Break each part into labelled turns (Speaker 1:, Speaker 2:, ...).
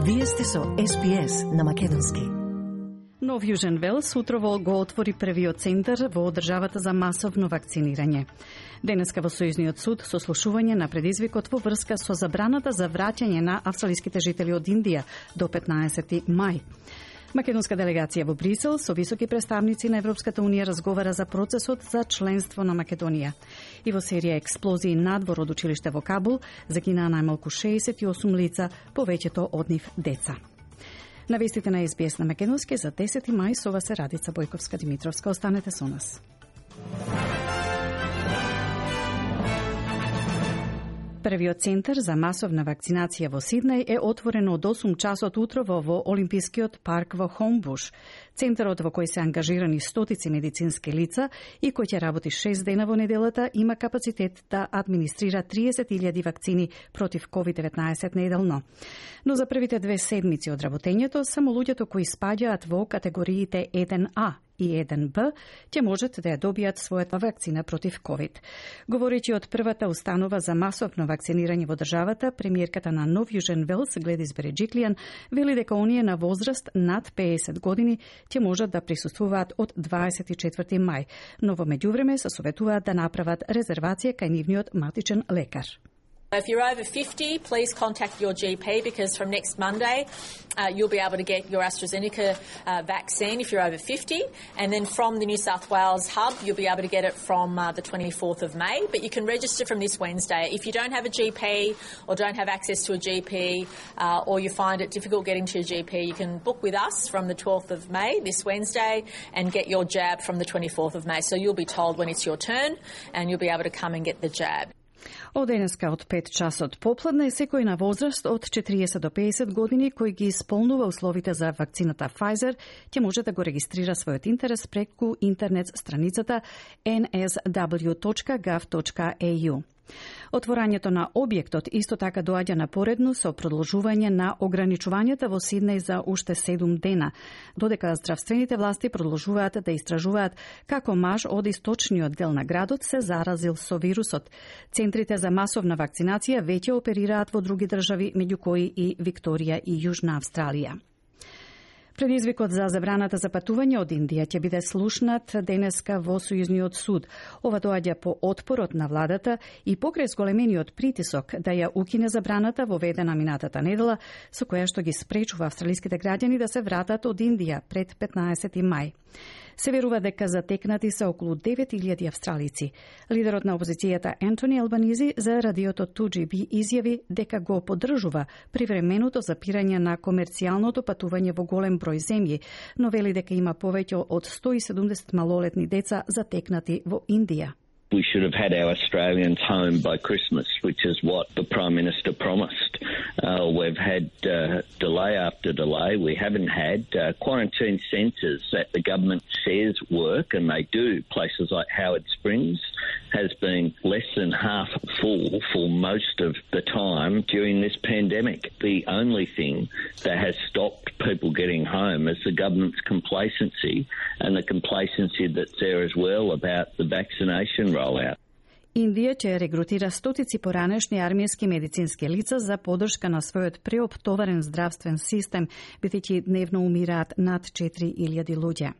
Speaker 1: Вие сте со SPS на македонски.
Speaker 2: Нов Јужен Велс утрово го отвори првиот центар во државата за масовно вакцинирање. Денеска во Сојузниот суд сослушување на предизвикот во врска со забраната за враќање на австралиските жители од Индија до 15 мај. Македонска делегација во Брисел со високи представници на Европската унија разговара за процесот за членство на Македонија. И во серија експлозии надвор од училиште во Кабул загинаа најмалку 68 лица, повеќето од нив деца. На вестите на SBS на македонски за 10 мај со вас е Радица Бојковска-Димитровска. Останете со нас. Првиот центар за масовна вакцинација во Сиднеј е отворен од 8 часот утрово во Олимпискиот парк во Хомбуш. Центарот во кој се ангажирани стотици медицински лица и кој ќе работи 6 дена во неделата има капацитет да администрира 30.000 вакцини против COVID-19 неделно. Но за првите 2 седмици од работењето само луѓето кои спаѓаат во категориите 1А и 1Б ќе можат да ја добијат својата вакцина против COVID. Говорејќи од првата установа за масовно вакцинирање во државата, премиерката на Нов Јужен Велс, Гледис Береджиклијан, вели дека оние на возраст над 50 години ќе можат да присуствуваат од 24 мај, но во меѓувреме се советуваат да направат резервација кај нивниот матичен лекар.
Speaker 3: If you're over 50, please contact your GP because from next Monday you'll be able to get your AstraZeneca vaccine if you're over 50, and then from the New South Wales hub you'll be able to get it from the 24th of May, but you can register from this Wednesday. If you don't have a GP or don't have access to a GP or you find it difficult getting to your GP, you can book with us from the 12th of May, this Wednesday, and get your jab from the 24th of May. So you'll be told when it's your turn and you'll be able to come and get the jab.
Speaker 2: Од денеска од 5 часот попладне секој на возраст од 40 до 50 години кој ги исполнува условите за вакцината Pfizer ќе може да го регистрира својот интерес преку интернет страницата nsw.gov.au. Отворањето на објектот исто така доаѓа напоредно со продолжување на ограничувањата во Сиднеј за уште 7 дена, додека здравствените власти продолжуваат да истражуваат како маж од источниот дел на градот се заразил со вирусот. Центрите за масовна вакцинација веќе оперираат во други држави, меѓу кои и Викторија и Јужна Австралија. Предизвикот за забраната за патување од Индија ќе биде слушнат денеска во Сојузниот суд. Ова доаѓа по отпорот на владата и покрај зголемениот притисок да ја укине забраната воведена минатата недела, со која што ги спречува австралиските граѓани да се вратат од Индија пред 15 мај. Се верува дека затекнати се околу 9.000 австралици. Лидерот на опозицијата Ентони Албанизи за радиото 2GB изјави дека го поддржува привременото запирање на комерцијалното патување во голем број земји, но вели дека има повеќе од 170 малолетни деца затекнати во Индија.
Speaker 4: We should have had our Australians home by Christmas, which is what the Prime Minister promised. We've had delay after delay. We haven't had quarantine centres that the government says work, and they do. Places like Howard Springs has been less than half full for most of the time during this pandemic. The only thing that has stopped people getting home is the government's complacency, and the complacency that's there as well about the vaccination rollout.
Speaker 2: Индија ќе регрутира стотици поранешни армијски медицински лица за поддршка на својот преоптоварен здравствен систем, бидејќи дневно умираат над 4.000 луѓе.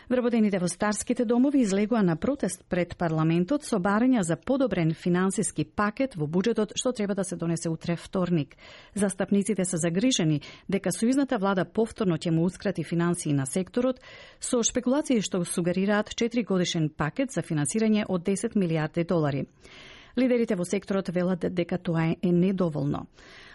Speaker 2: Вработените во старските домови излегува на протест пред парламентот со барања за подобрен финансиски пакет во буџетот што треба да се донесе утре вторник. Застапниците се загрижени дека сојузната влада повторно ќе му ускрати финансии на секторот со шпекулации што сугерираат 4-годишен пакет за финансирање од 10 милијарди долари. Лидерите во секторот велат дека тоа е недоволно.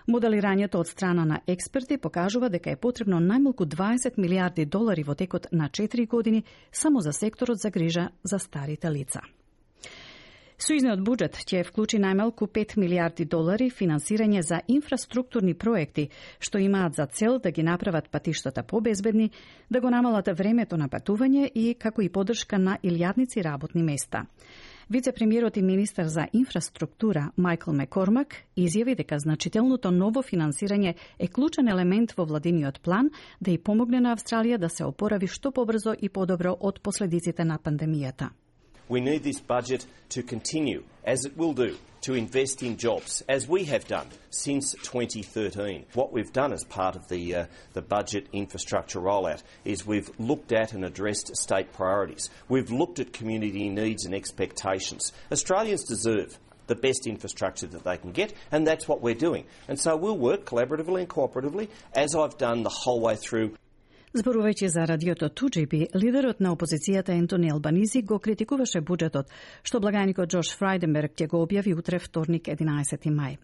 Speaker 2: Моделирањето од страна на експерти покажува дека е потребно најмалку 20 милијарди долари во текот на 4 години само за секторот за грижа за старите лица. Сојузниот буџет ќе вклучи најмалку 5 милијарди долари финансирање за инфраструктурни проекти, што имаат за цел да ги направат патиштата побезбедни, да го намалат времето на патување и како и поддршка на илјадници работни места. Вице-премиерот и министар за инфраструктура Майкл Маккормак изјави дека значителното ново финансирање е клучен елемент во владиниот план да и помогне на Австралија да се опорави што побрзо и подобро од последиците на пандемијата.
Speaker 5: We need this budget to continue, as it will do, to invest in jobs, as we have done since 2013. What we've done as part of the budget infrastructure rollout is we've looked at and addressed state priorities. We've looked at community needs and expectations. Australians deserve the best infrastructure that they can get, and that's what we're doing. And so we'll work collaboratively and cooperatively, as I've done the whole way through.
Speaker 2: Зборувајќи за радиото 2GB, лидерот на опозицијата Ентони Албанизи го критикуваше буџетот, што благајникот Џош Фрајденберг ќе го објави утре вторник 11 мај.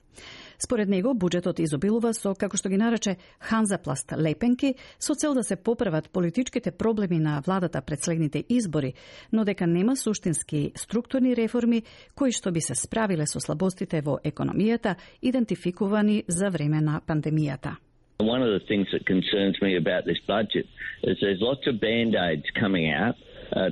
Speaker 2: Според него, буџетот изобилува со, како што ги нарече, ханзапласт лепенки, со цел да се поправат политичките проблеми на владата пред следните избори, но дека нема суштински структурни реформи кои што би се справиле со слабостите во економијата, идентификувани за време на пандемијата.
Speaker 4: One of the things that concerns me about this budget is there's lots of band-aids coming out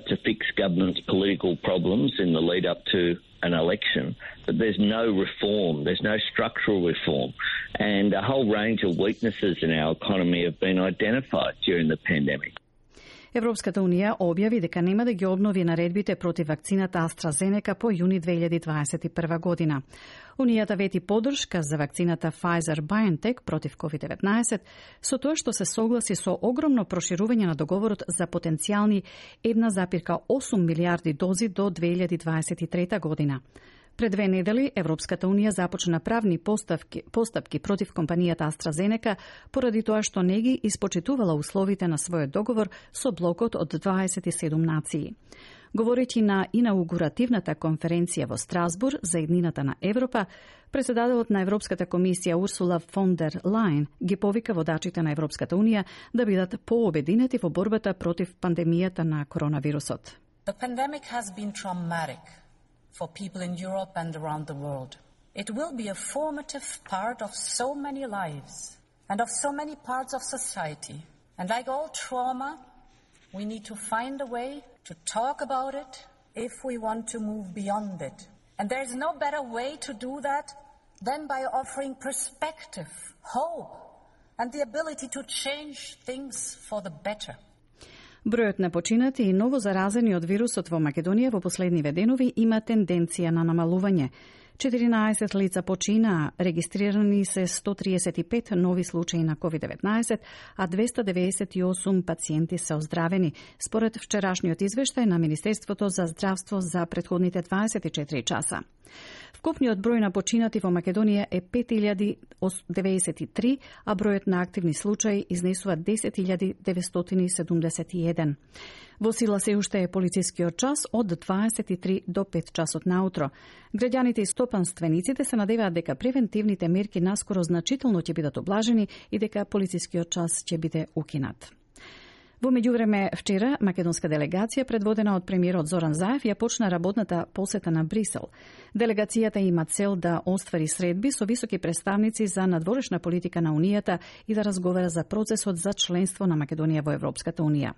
Speaker 4: to fix government's political problems in the lead up to an election, but there's no reform, there's no structural reform, and a whole range of weaknesses in our economy have been identified during the pandemic.
Speaker 2: Европската унија објави дека нема да ги обнови наредбите против вакцината AstraZeneca по јуни 2021 година. Унијата вети поддршка за вакцината Pfizer-BioNTech против COVID-19 со тоа што се согласи со огромно проширување на договорот за потенцијални 1,8 милијарди дози до 2023 година. Пред 2 недели Европската унија започна правни постапки против компанијата AstraZeneca поради тоа што не ги испочитувала условите на својот договор со блокот од 27 нации. Говорејќи на инаугуративната конференција во Страсбур за еднината на Европа, председателот на Европската комисија Урсула фон дер Лајен ги повика водачите на Европската унија да бидат пообединети во борбата против пандемијата на коронавирусот.
Speaker 6: The pandemic has been traumatic for people in Europe and around the world. It will be a formative part of so many lives and of so many parts of society. And like all trauma, we need to find a way to talk about it if we want to move beyond it. And there is no better way to do that than by offering perspective, hope, and the ability to change things for the better.
Speaker 2: Бројот на починати и ново заразени од вирусот во Македонија во последниве денови има тенденција на намалување. 14 лица починаа, регистрирани се 135 нови случаи на COVID-19, а 298 пациенти се оздравени, според вчерашниот извештај на Министерството за здравство за претходните 24 часа. Вкупниот број на починати во Македонија е 5093, а бројот на активни случаи изнесува 10.971. Во сила се уште е полицискиот час од 23 до 5 часот наутро. Граѓаните и стопанствениците се надеваат дека превентивните мерки наскоро значително ќе бидат облажени и дека полицискиот час ќе биде укинат. Во меѓувреме, вчера, македонска делегација, предводена од премиерот Зоран Заев, ја почна работната посета на Брисел. Делегацијата има цел да оствари средби со високи представници за надворешна политика на Унијата и да разговара за процесот за членство на Македонија во Европската Унија.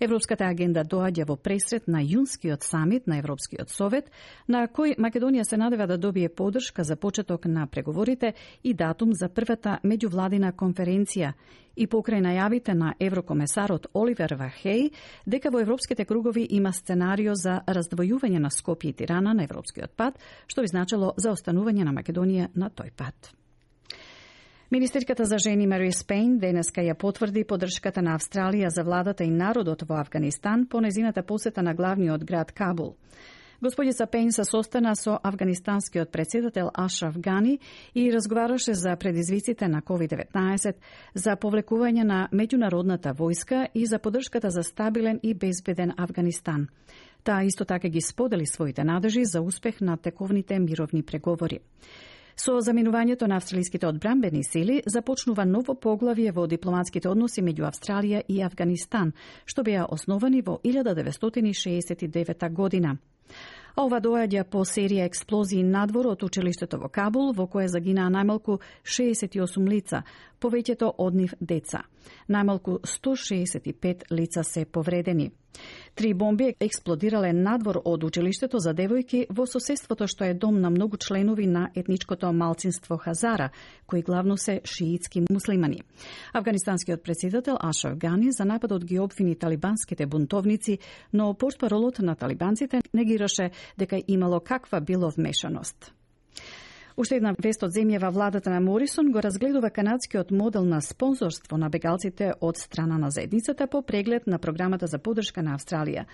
Speaker 2: Европската агенда доаѓа во пресред на јунскиот самит на Европскиот совет, на кој Македонија се надева да добие поддршка за почеток на преговорите и датум за првата меѓувладина конференција и покрај најавите на еврокомесарот Оливер Вархеј дека во европските кругови има сценарио за раздвојување на Скопје и Тирана на европскиот пат, што би значило за останување на Македонија на тој пат. Министерката за жени Марис Пейн денеска ја потврди поддршката на Австралија за владата и народот во Авганистан по незината посета на главниот град Кабул. Господица Пейн се состана со афганистанскиот председател Ашраф Гани и разговараше за предизвиците на COVID-19, за повлекување на меѓународната војска и за поддршката за стабилен и безбеден Авганистан. Таа исто така ги сподели своите надежи за успех на тековните мировни преговори. Со заминувањето на австралиските одбранбени сили започнува ново поглавје во дипломатските односи меѓу Австралија и Авганистан, што беа основани во 1969 година. А ова доаѓа по серија експлозии надвор од училиштето во Кабул, во кое загинаа најмалку 68 лица, повеќето од нив деца. Најмалку 165 лица се повредени. 3 бомби експлодирале надвор од училиштето за девојки во соседството што е дом на многу членови на етничкото малцинство Хазара, кои главно се шиитски муслимани. Афганистанскиот претседател Ашраф Гани за нападот ги обвини талибанските бунтовници, но портпаролот на талибанците негираше дека имало каква било вмешаност. Уште една вест од земјава, владата на Морисон го разгледува канадскиот модел на спонзорство на бегалците од страна на заедницата по преглед на програмата за поддршка на Австралија.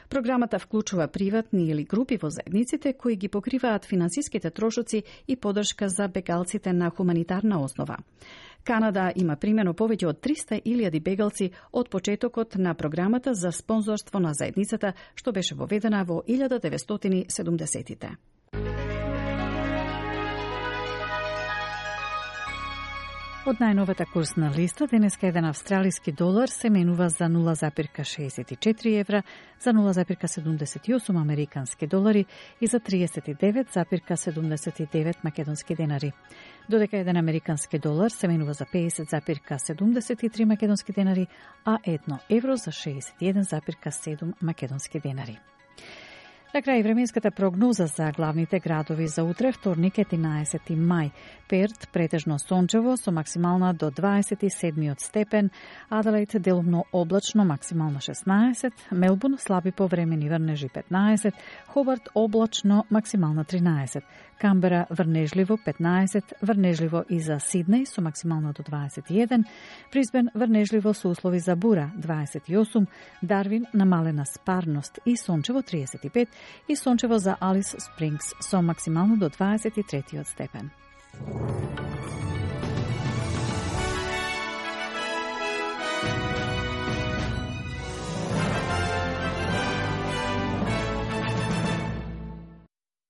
Speaker 2: Програмата вклучува приватни или групи во заедниците кои ги покриваат финансиските трошоци и поддршка за бегалците на хуманитарна основа. Канада има примено повеќе од 300.000 бегалци од почетокот на програмата за спонзорство на заедницата, што беше воведена во 1970-тите. Од најновата курсна листа, денеска еден австралиски долар се менува за 0,64 евра, за 0,78 американски долари и за 39,79 македонски денари. Додека еден американски долар се менува за 50,73 македонски денари, а 1 евро за 61,7 македонски денари. На крај временската прогноза за главните градови за утре, вторник 11 мај. Перт претежно сончево со максимална до 27 степен, Аделаид делумно облачно максимална 16, Мелбурн слаби повремени врнежи 15, Хобарт облачно максимална 13, Камбера врнежливо 15, врнежливо и за Сиднеј со максимална до 21, Брисбен врнежливо со услови за бура 28, Дарвин намалена спарност и сончево 35 и сончево за Алис Спрингс со максимално до 23 степен.